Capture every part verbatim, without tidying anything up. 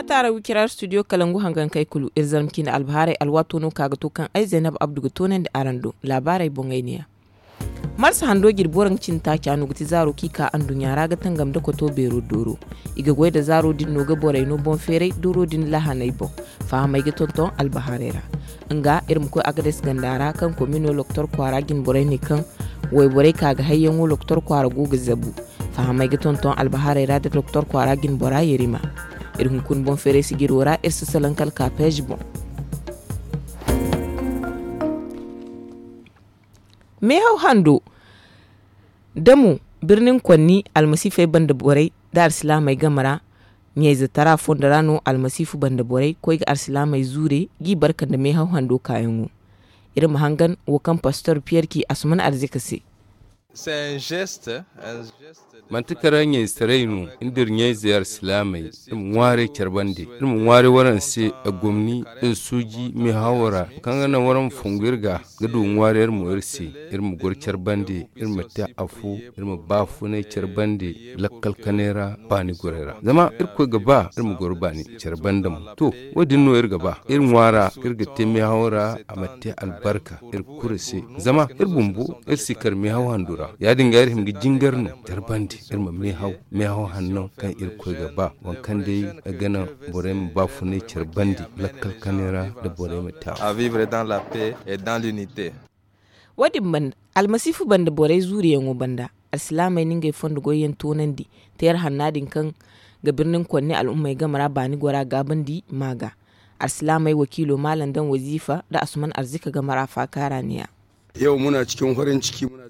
Taara wiciraar studio kalangu hangankey kulu iri zarma ciine albahaarey alwaato no ka ga to kaŋ ay zaynab abdu ga toonandi araŋ do. Laabaarey boŋey neeya. Marsa hando jirbi waranka cindi taaca no ga ti zaaro kaŋ i ka anduɲɲa ra ga tangam nda koto beero dooro. I ga goy nda zaaro din no ga borey no boŋ feeray dooro din lahaney boŋ. Fahamey ga tonton albahaarey ra. Nga iri ma koy agades ganda ra kaŋ komino loktor kwaara jine borey ne kaŋ wayborey ka ga hayyaŋo loktor kwaara go ga zabu. Fahamey ga tonton albahaarey ra nda doktor kwaara jine bora yerima. Iri hunkuna boŋ feeray sijiro ra iri si salaŋ kala ka peeji boŋ. Meehaw hando da mo birnin konni almasiifey banda borey nda alsilaamey game ra. Ɲayze tara fondo ra no almasiifu banda borey koy ga alsilaamey zuure g'i barka nda meehaw hando kaayaŋo. Iri ma hangan wo kaŋ pastor piyer ci asuman arzika se. Manti kara ɲayzetaray no nda iri ɲayze alsilaamey iri ma ŋwaaray care bande iri ma ŋwaaray waraŋ se. Gomni nda suuji meehawo ra kaŋ ga naŋ waraŋ ma fongu iri ga ga du ŋwaaray iri mo iri se. Iri ma goro care bande iri ma te afo iri ma baafunay care bande lakkal kanay ra baani goray ra zama irkoy ga ba iri ma goro baani care bande mo. To, wo- din no iri ga ba iri ŋwaara iri ga te meehawo ra a ma te albarka iri kulu se. Zama iri bumbo iri si kar meehaw handu ra ya- din ga iri hin ga jingar no care bande iri ma meehaw meehaw hanno kaŋ irkoy ga ba waŋ kaŋ day ga naŋ borey ma baafunay care bande lakkal kanay ra nda borey ma te a. Wo- din banda almasiifu banda borey zuuriyaŋo banda alsilaamey na ngey fondo goyyaŋ toonandi teera hanna din kaŋ ga birnin konni al'ummey game ra baani gora gaabandi ma ga. Alsilaamey wakiilo maalam daŋ waziifa nda asuman arzika game ra faakaara ne ya.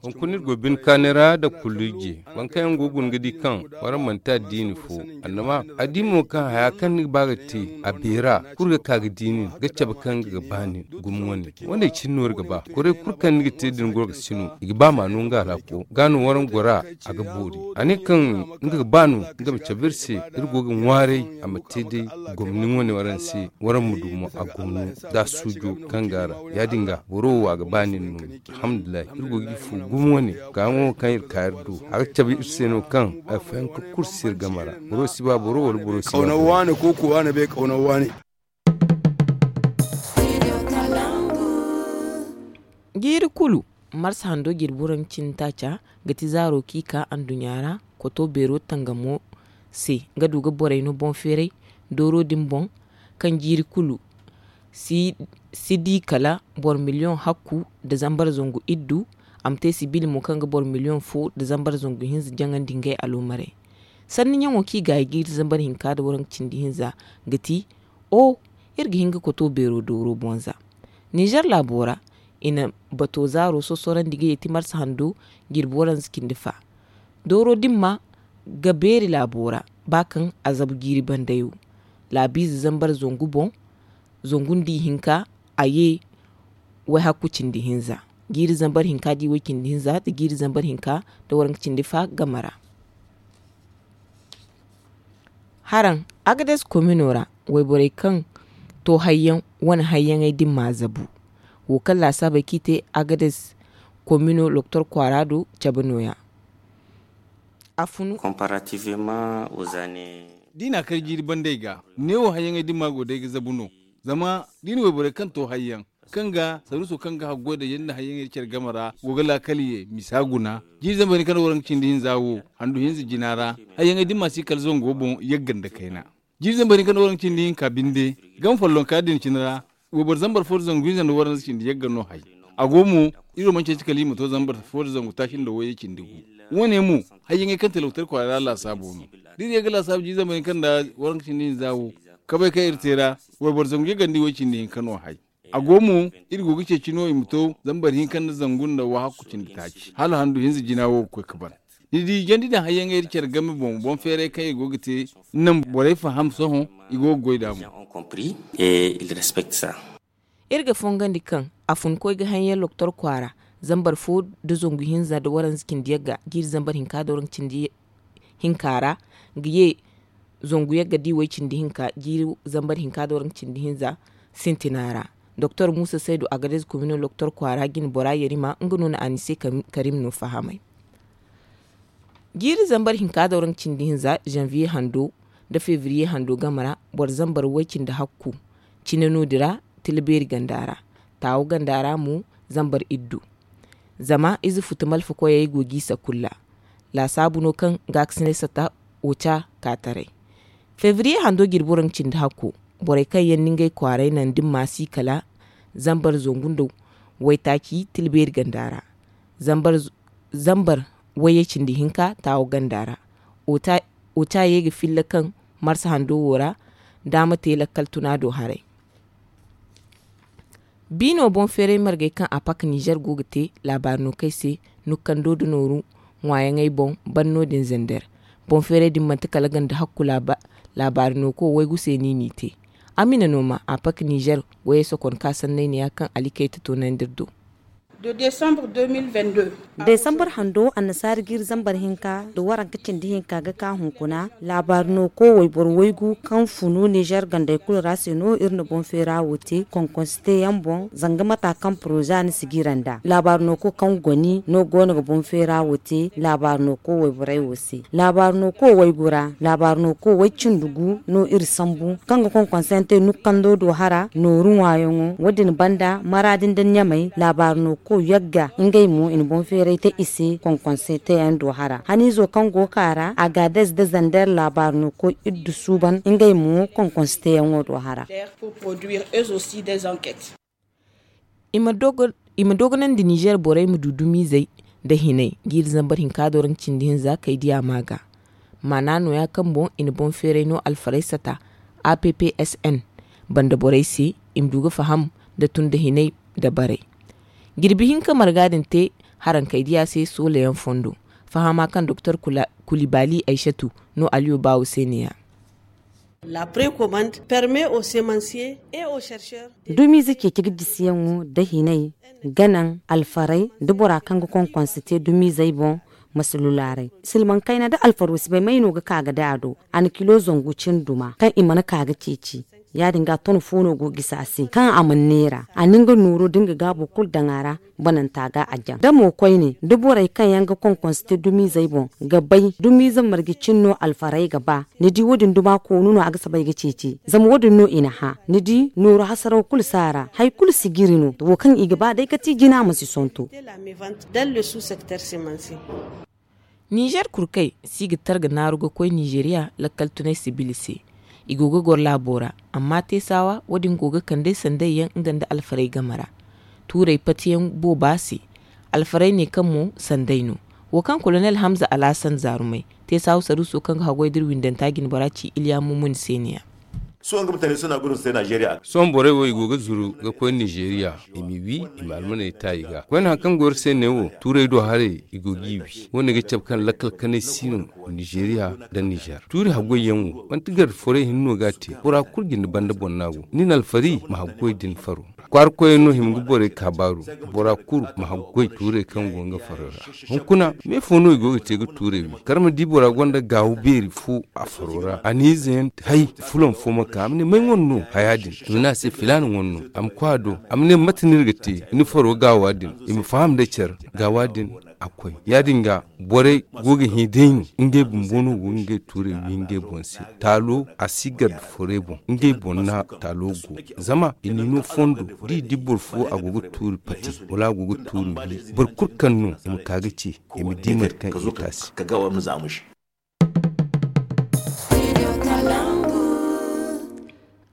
Hunkuna iri go bine kaanay ra nda kullije waŋ kaŋ yaŋ go ga guna ga di kaŋ waraŋ manti addiini fo. Annama addiimo kaŋ haya kaŋ ni ga ba ga te a beera kulu ga ka ga di nin ga cabe kaŋ ga ba nin gumo wane. Wane cine no iri ga ba kuray kulu kaŋ ni ga te din goro ga sino i ga ba ma no nga ra ko ga no waraŋ gora a ga boori a ne kaŋ nga ga ba no nga ma cabe iri se. Iri go ga ŋwaaray a ma te day gomni wane waraŋ se waraŋ ma du mo a gomno da suujo kaŋ ga ra ya- din ga boro wo a ga ba nin no. Alhamdulillahi iri go ga iri fu gumo wane kaayaŋo kaŋ iri ka iri do a ga cabe iri se no kaŋ ay fayanka kulu si iri game ra boro si ba boro wala boro si ba boro. Jiiri kulu marsa hando jirbi waranka cindi taaca ga ti zaaro kaŋ i ka anduɲɲa ra koto beero tangamo se ga du ga borey no boŋ feeray dooro din boŋ kaŋ jiiri kulu si di kala boro miliyoŋ hakku nda zambar zangu iddu. A ma te sibiili mo kaŋ ga boro miliyoŋ fo nda zambar zangu hinza jaŋandi ngey aloomarey. Sanni ɲaŋo kaŋ i gaayi jiiri zambar hinka nda waranka cindi hinza ga ti o iri ga hin ga koto beero dooro boŋ za. Nizer laabo ra i na bato zaaro sosorandi ga yeeti marsa hando jirbi waranza cindi fa. Dooro dimma ga beeri laabo ra ba kaŋ a zabu jiiri bandayo laabiize zambar zangu boŋ zangu nda ihinka a ye wayhakku cindi hinza jiiri zambar hinka da iway cindi hinza nda jiiri zambar hinka nda waranka cindi fa game ra. Haraŋ agades komino ra wayborey kaŋ to hayyaŋ wane hayyaŋey din ma zabu wo kaŋ laasaabey kaŋ i te agades komino loktor kwaara do cabe nooya. A funu. Komparativement aux années da i na a kar jiiri bandey ga neewo hayyaŋey din ma go day ga zabu no. Zama da i na wayborey kaŋ to hayyaŋ kaŋ ga saruuso kaŋ ga haggoy da yanda hayyaŋey da care game ra go ga laakal ye misa guna jiiri zambar hinka nda waranka cindi hinza wo handu hinza jina ra hayyaŋey da ni ma si kala zango boŋ yagga nda kayna. Jiiri zambar hinka nda waranka cindi hinka binde gama follonka din cine ra wayboro zambar fo nda zangu hinza nda waranka cindi yagga no hay. A go mo iri wo mana ceeci kala iri ma to zambar fo nda zangu taaci nda wayye cindi gu. Wo- ne mo hayyaŋey kaŋ te loktor kwaara ra laasaabo no da iri ye ga laasaabu jiiri zambar hinka nda waranka cindi hinza wo kabay kaŋ iri te ra wayboro zangu yagga nda iway cindi hinka no hay. A go mo iri go ga ceeci no i ma to zambar hinka nda zangu nda wahakku cindi taaci hala handu hinza jina wo ga koy ga ban. Ni di jandi daŋ hayyaŋey iri care game boŋ boŋ feeray kaŋ iri go ga te naŋ borey faham sohõ i go ga goy nd'a mo. Iri ga fongandi kaŋ a fun koy ga haŋ yaŋ loktor kwaara zambar fo nda zangu hinza nda waranza cindi yagga jiiri zambar hinka nda waranza cindi hinka ra ga ye zangu yagga da iway cindi hinka jiiri zambar hinka nda waranza cindi hinza sintina ra. Doktor muusa saydu agadez komino loktor kwaara jine bora yarima nga no na anise karim no fahamay. Jiiri zambar hinka nda waranza cindi hinza zanviye hando nda febriye hando game ra boro zambar way-cindi hakku. Cine no- din ra tila beeri ganda ra, taawo ganda ra mo zambar iddu. Zama ize futu malfa koyey go g'i sakulla. Laasaabu no kaŋ gaakasinay sata oca ka taray. Febriye hando jirbi waranka cindi hakko, borey kaŋ yaŋ na ngey kwaaray naŋ da ni maasi kala zambar zangu nda waytaaci tila beeri ganda ra. Zambar wayye cindi hinka taawo ganda ra. Oca ye ga filla kaŋ marsa hando wo ra daama te lakkal tuna do haray. Biino boŋ feeray margey kaŋ a pak nizer go ga te laabaari no kay se, nukkando da nooru ŋwaayaŋey boŋ ban no- din zander. Boŋ feeray din manti kala ganda hakku laabaari no ko waygu se no i n'i te. Amina no ma a pak nizer goyey sokon ka sanney ne ya kaŋ alikayta toonandi iri do. Desambar hando annasaari jiiri zambar hinka nda waranka cindi hinka ga ka hunkuna. Laabaari no ko wayboro waygu kaŋ funu nizer gandey kulu ra se no iri na boŋ feera wo te konkonsi teeyaŋ boŋ, zanga mata kaŋ poroza na sijira nd'a laabaari no ko kaŋ goni no go no ga boŋ feera wo te laabaari no ko wayborey wo se. Laabaari no ko waygu ra laabaari no ko way-cindi gu no iri sambu kaŋ ga konkonsante nukkando do hara nooru ŋwaayaŋo. Wo- din banda maraadi nda ɲamay laabaari no ko yagga ngey mo i na boŋ feeray te i se konkonsante yaŋ do hara haniizo kaŋ go ka ra a ga a dayze da zander laabaari no ko iddu suuban ngey mo konkonsante yaŋo do hara. I ma dogonandi nizer borey ma du dumiizey nda hinay jiiri zambar hinka do ra nga cindi hinza kay diya ma ga. Maana nooya kaŋ boŋ i na boŋ feeray no alfarey sata a p p s n banda borey se i ma du ga faham nda tun nda hinay nda barey. Jirbi hinka marga din te harankey diya se soolayaŋ fondo. Fahama kaŋ doktor kulibali aysatu no aliyo baawo se ne ya. Dumiize ceeci ga jisiyaŋo nda hinay ga naŋ alfarey nda bora kaŋ ga konkonse te dumiizey boŋ. Masalulaaray silmaŋ kayna nda alfaro si bay may no ga ka ga da a do a na kilo zangu cin duma kaŋ i mana ka ga ceeci. Ya- din ga ton fo no go ga gisi a se kaŋ a mana neera a na nga nooro da nga gaabo kulu daŋ a ra. Bananta ga a jaŋ da mo koyne da borey kaŋ yaŋ ga konkonse te dumiizey boŋ ga bay dumiize marje cin no alfarey ga ba. Ni di wo- din duma koonu no a ga soobay ga ceeci zama wo- din no i na hã. Ni di nooru hasaraw kulu si a ra hari kulu si jiri no wo kaŋ i ga ba day ga ti jina ma si sonto. Nizer kurkey si ga targa naaru ga koy nizeriya lakkal tunay sibili se. I go ga goro laabo ra amma teesawa wo- din go ga kand'ey sanday yaŋ nga nda alfarey game ra. Tuurey patiyaŋ booba se. Alfarey ne kaŋ mo sanday no. Wo kaŋ kolonel hamza alaasan zaarumey teesawa saruuso kaŋ ga haggoy da iri windanta jinbora ci iliya mumuni se ne ya. Sohõ borey wo i go ga zuru ga koy nizeriya. I ma wi i ma almaney ta i ga koyne hari kaŋ go iri se ne wo tuurey do haray i go g'i wi wo- ne ga cabe kaŋ lakkal kanay si no. Nizeriya nda nizer tuuri haggoy yaŋ wo manti garda forey hinne no ga a te bora kulu jinde banda boŋ no a go ni na alfari ma haggoy din faro. Kwaara koyey no hima ga borey kaabaaru. Bora kulu ma haggoy tuurey kaŋ go nga faro ra. Hunkuna me fo no i go ga te ga tuurey wi kala ma di bora gonda gaawu beeri fo a faro ra a na ize yaŋ hay fulaŋ fo ma ka a ma ne may wane no haya din i ma ne a se filaana wane no. A ma koy a do a ma ne mate no iri ga te ni faro gaawa din i ma faham nda care gaawa din. A koy ya- din ga borey go ga hẽ day no ngey bumbo no go ga ngey tuurey wi ngey boŋ se. Taalo a si garda forey boŋ ngey boŋ no taalo go. Zama i n'i no fondo da i di boro fo a go ga tuuri pati wala a go ga tuuri wi boro kulu kaŋ no i ma ka ga ce i ma di mate kaŋ i ga te a se.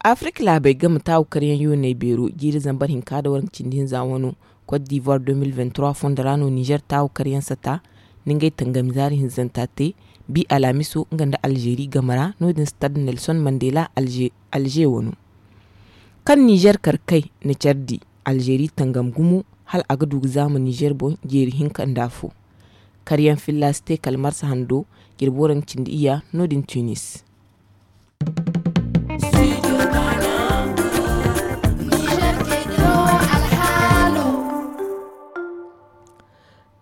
Afirka laabey game taawu karyaŋ yooney beero jiiri zambar hinka nda waranka cindi hinza wano. Kot divoir deux mille vingt trois fondo ra no nizer taawu karyaŋ sata. Nda ngey tangami zaari hinzanta te bi alamiso nga nda alzeeri game ra no- din stade nelson mandela. Alze wano kaŋ nizer kar kay na care di alzeeri tangam gumo hala a ga du ga zaama nizer boŋ jeeri hinka nda afo. Karyaŋ filla si te kala marsa hando jirbi waranka cindi iyya no- din tunis.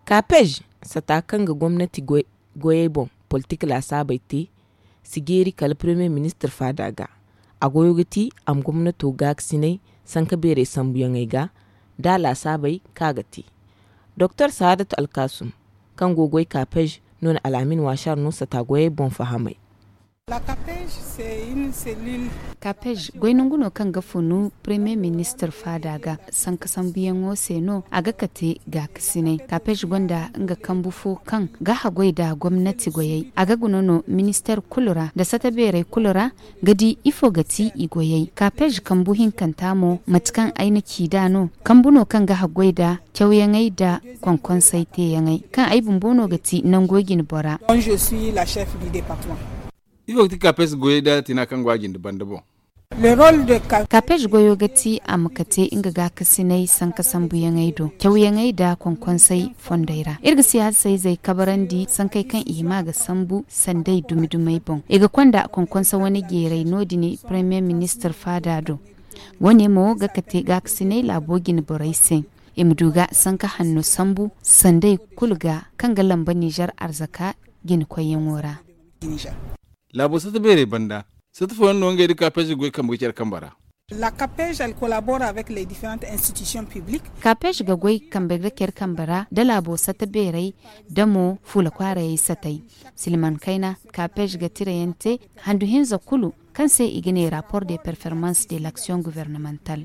Kapej sata kaŋ ga gomnati goyey boŋ politik laasaabey te si jeeri kala premier ministir faada ga. A goyo ga ti a ma gomnato gaakasinay sanka beerey sambuyaŋey ga da laasaabey kaŋ a ga te. Doktor sahaadatu alkaasum kaŋ go goy kapej no na alaamin waasar no sata goyey boŋ fahamay. Kapej goy nangu no kaŋ ga funu premier ministre faada ga. Sanka sambuyaŋo se no a ga kate gaakasinay. Kapej gonda nga kambu fo kaŋ ga haggoy nda gomnati goyey. A ga guna no minister kulu ra nda sata beerey kulu ra ga di ifo ga ti i goyey. Kapej kambu hinkanta mo mate kaŋ ay na ci nd'a no, kambu no kaŋ ga haggoy nda cawyaŋey nda konkonsey teeyaŋey kaŋ ay bumbo no ga ti nango jine bora. Ifo ga ti kapes goyey nda tina kaŋ go a jinde banda boŋ? Kapes goyo ga ti a ma kate nga gaakasinay sanka sambuyaŋey do, cawyaŋey nda konkonsey fondey ra. Iri ga siyaasayzey kabarandi sankey kaŋ i hima ga sambu sanday dumi-dumey boŋ. I ga konda konkonsa wane jeeray no- din premier ministre faada do. Wo- ne mo ga kate gaakasinay laabo jine borey se, i ma du ga sanka hanno sambu sanday kulu ga kaŋ ga lamba nizer arzaka jine koyyaŋo ra. Laabo sata beerey banda, sata fooyaŋ no ngey nda kapes ga goy kambe ga care kambe ra. Kapes ga goy kambe ga care kambe ra nda laabo sata beerey nda mo fuula kwaarayey satey. Silman kayna, kapes ga tirayaŋ te handu hinza kulu kaŋ se i ga ne rapport de performance de l'action gouvernemental.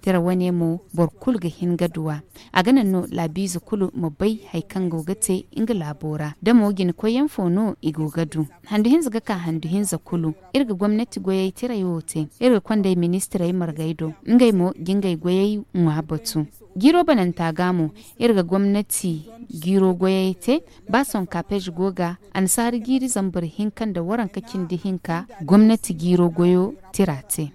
Tira wane mo boro kulu ga hin ga du a. A ga naŋ no laabiize kulu ma bay hari kaŋ go ga te nga laabo ra da mo jine koyyaŋ fo no i go ga du. Handu hinza ga ka handu hinza kulu, iri ga gomnati goyey tiray wo te. Iri ga kondey ministirey margey do, ngey mo ga ngey goyey ŋwa batu. Jiiro bananta ga mo, iri ga gomnati jiiro goyey te. Ba sohõ kapej go ga annasaara jiiri zambar hinka nda waranka cindi hinka gomnati jiiro goyo tira te.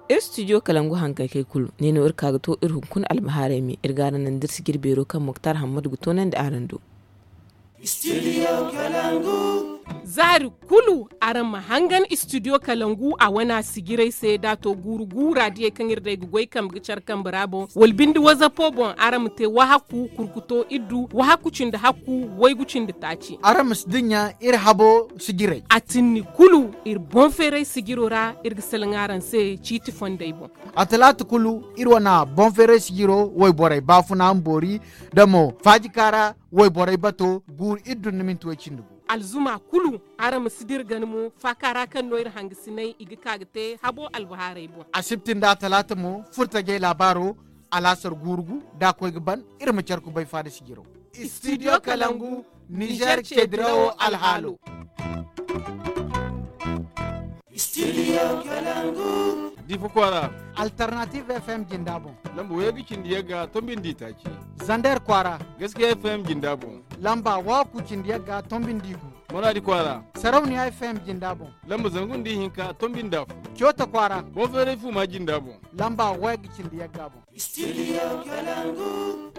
Iri studio kalangu hankakey kulu ne no iri ka ga to iri hunkuna almahaarey me iri ga araŋ naŋ da iri sijir beero kaŋ moktar hammadu ga toonandi araŋ do. Zaari kulu araŋ ma hangan studio kalangu a wana sijirey se da to guuru guura diyey kaŋ iri day ga goy kambe ga care kambe ra boŋ wala bindi wazapo boŋ araŋ ma te wahakku kurkuto iddu wahakku cindi hakku waygu cindi taaci. Araŋ ma si dinya iri habo sijirey a tinni kulu iri boŋ feeray sijiro ra iri ga salaŋ araŋ se ciiti fondey boŋ. A talaata kulu iri wana boŋ feeray sijiro wayborey baafuna mboori da mo faajika ra wayborey bato guuru iddu nda minti way cindi gu. Alzuma kulu araŋ ma si dira gana mo faaka ra kaŋ no iri hangasinay i ga ka ga te habo albahaarey boŋ. Asibti nda talaata mo furtajey laabaaro alaasar guuru gu da a koy ga ban iri ma care kubay faada sijiro. Studio kalangu nizer ce dirawo alhaalo. Difa kwaara. Alternative fm jinda boŋ. Lamba waygu cindi yagga tombindi taaci. Zander kwaara. Gaskiya fm jinda boŋ. Lamba waku cindi yagga tombindi gu. Maradi kwaara. Sarauniya fm jinda boŋ. Lamba zangu nda ihinka tombindi afo. Coota kwaara. Boŋ feeray fuma jinda boŋ. Lamba waygu cindi yagga boŋ. Studio kalangu.